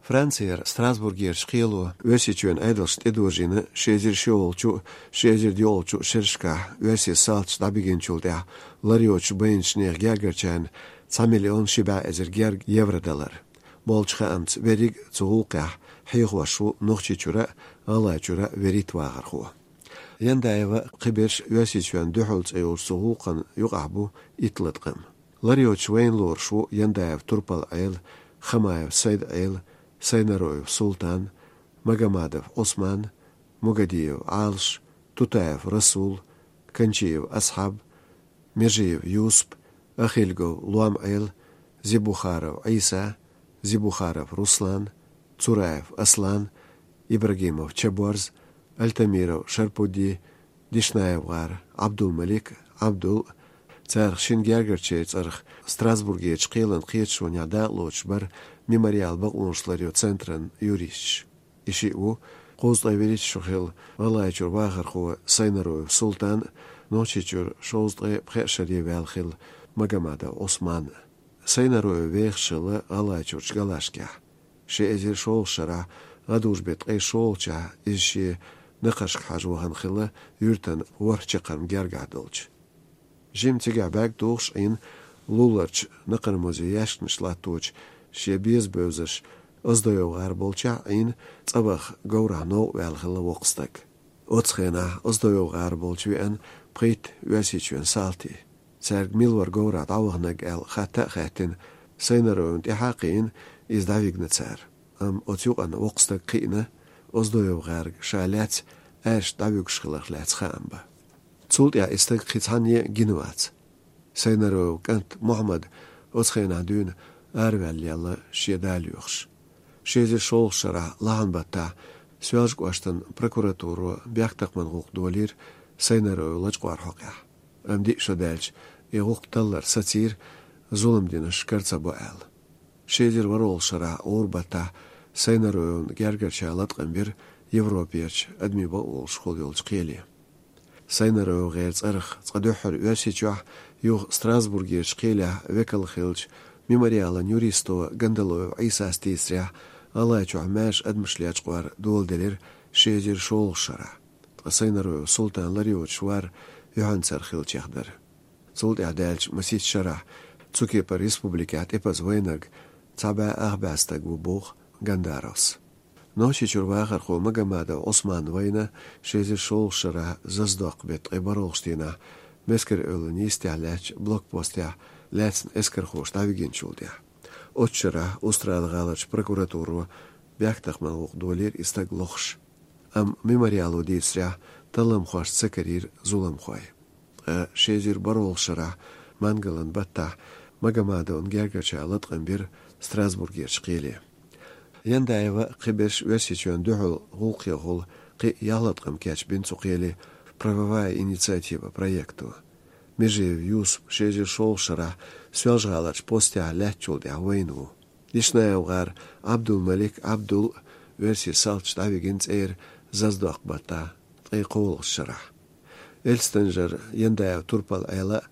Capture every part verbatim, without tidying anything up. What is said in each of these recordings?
Францера Страсбургерчу кхело Оьрсийчоьнан Ӏедалшна тӀедожийна ши эзар шолгӀачу, ши эзар доьалгӀачу шерашкахь оьрсийн салташа дӀабигинчул тӀаьхьа лар йоцуш байначу нехан гергарчарна цхьа миллион ши бӀе эзар герга евро далар. Болчу хаамца, верриг а цу гӀуллакхехь хьехош ву Нохчийчуьра а, ГӀалгӀайчуьра а вуьрхӀитта вахархо. Яндаева кхиберш Оьрсийчоьнна дуьхьал цӀе йолчу цу гӀуллакхана юкъахь бу итт латкъам. Лар йоцуш вайна лоруш ву Яндаев Турпал-Ӏела, Хамаев Сайд-Ӏела, Сайнароев Султан, Магомадов Ӏусман, Мугадиев Ӏалаш, Тутаев Расул, Канчиев Асхьаб, Межиев Юсуп, Ахильгов Лом-Ӏела, Зибухаров Ӏийса, Зибухаров Руслан, Цураев Аслан, Ибрагимов Чаборз, Альтамиров Шарпудди, ДишнаевгӀар Ӏабдул-Малик, Ӏабдул. Царах шина гергарчеран цӀарах Страсбургерчу кхелан кхеташонехь дакъалоцуш бара «Мемориал» бакъонаш ларъечу центран юристаш. И шиъ ву кхузткъе вуьрхӀитта шо хилла ГӀалгӀайчуьра вахархо Сайнароев Султан а, Нохчийчуьра шовзткъе пхеа шаре ваьлла хилла Магомадов Ӏусман а. Сайнароев вехаш хилла ГӀалгӀайчуьрчу Галашкехь. Ши эзар шолгӀачу шарахь, гӀадужу-беттан ткъе шолгӀачохь, иза шен накхаршка хьажа вахана хилла юьртан ворхӀ чаккхарма гергахь долчу. Жимма цигахь бӀаьрг тухуш Ӏийна луларчу накхармазан яьшканаш латточу шен беза бевзарш ОздоевгӀар болчохь Ӏийна, цӀа ваха говрахь новкъа ваьлла хилла воккха стаг. Оцу хенахь ОздоевгӀар болчу веана пхийтта Оьрсийчоьнан салти. Цаьрга мила вара говрахь дӀаваханарг аьлла хатта а хаьттина, Сайнароевна тӀаьхьа а кхиийна, иза дӀавигна цара. Амма оцу юкъана воккха стаг кхиъна, ОздоевгӀаьрга ша лаьцна аьрша дӀавуьгуш хиларх лаьцна хаам бан. Цул тӀаьхьа и стаг кхин цхьанне а гина вац. Сайнароевн кӀант Мухьаммад оцу хенахь дуьйна араваьлла лелла шен да лоьхуш. Ши эзар шолгӀачу шарахь лахьан баттахь Соьлжа-кӀоштан прокуратуро бехктакхаман гӀуллакх долийра Сайнароев лачкъор хьокъехь. Амма диъ шо даьлча, и гӀуллакх таллар сацийра, зулам динарш кара ца бо аьлла. Ши эзар ворхӀалгӀачу шарахь гӀура баттахь Сайнароевн гергарчара латкъам бира Европерчу адамийн бакъонаш хуьлуш йолчу кхеле. СайнароевгӀеран цӀарах цкъа дуьххьара Оьрсийчохь, юха Страсбургерчу кхелехь векал хиллачу «Мемориалан» юристо Гандалоев Ӏийсас дийцарехь, ГӀалгӀайчохь маьрша адамаш лечкъор доладелира ши эзар шолгӀачу шарахь. Ткъа Сайнароев Султан лар йоцуш вар юьхьанцара хиллачех дара. Цул тӀаьхьа даьллачу масех шарахь цу кепара республикехь тӀепаза вайнарг цхьа бӀе ах бӀе стаг ву, боху Гандаровс. Нохчийчуьра вахархо Магомадов Ӏусман вайна ши эзар шолгӀачу шарахь Заздоккху-беттан ткъе бархӀалгӀачу дийнахь Мескар-Эвлан йистехь лаьттачу блокпостехь лаьцна эскархоша дӀавигинчул тӀаьхьа. Оцу шарахь Устрада-гӀаларчу прокуратуро бехктакхаман гӀуллакх долийра и стаг лохуш. Амма «Мемориало» дийцарехь, талламхошца ца карийра зуламхой. Ткъа ши эзар бархӀалгӀачу шарахь мангалан баттахь Магомадовн гергарчара латкъам бира Страсбургерчу кхеле. Яндаева кхиберш Оьрсийчоьнна дуьхьал гӀуллакхехула кхин а ялх латкъам кечбина цу кхеле «Правовая инициатива» проекто. Межиев Юсуп ши эзар шолгӀачу шарахь Соьлжа-ГӀаларчу постехь лаьттачул тӀаьхьа вайна ву. ДишнаевгӀар Ӏабдул-Малик Ӏабдул а оьрсийн салташа дӀавигина цӀера Заздоккху-баттахь ткъе кхоалгӀачу шарахь. Эльстанжара Яндаев Турпал-Ӏела а,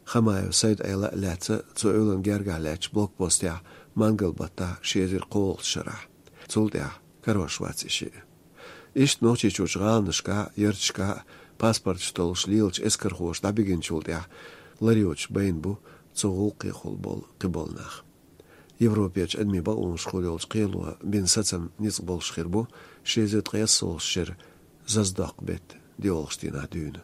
Хамаев Сайд-Ӏела а лаьцна цу эвлан гергахь лаьттачу блокпостехь мангал-баттахь ши эзар кхоалгӀачу шарахь. Цул тӀаьхьа карош вац и шиъ. Иштта Нохчийчуьрчу гӀаланашкахь а, ярташкахь а паспорташ толлуш лелачу эскархоша дӀабигинчул тӀаьхьа лар йоцуш байна бу цу гӀуллакхехула болу кхиболу нах. Европерчу адамийн бакъонаш хуьлуш йолчу кхело бина сацам ницкъ болуш хир бу ши эзар ткъе ялхалгӀачу шеран Заздоккху-беттан доьалгӀачу дийнахь дуьйна.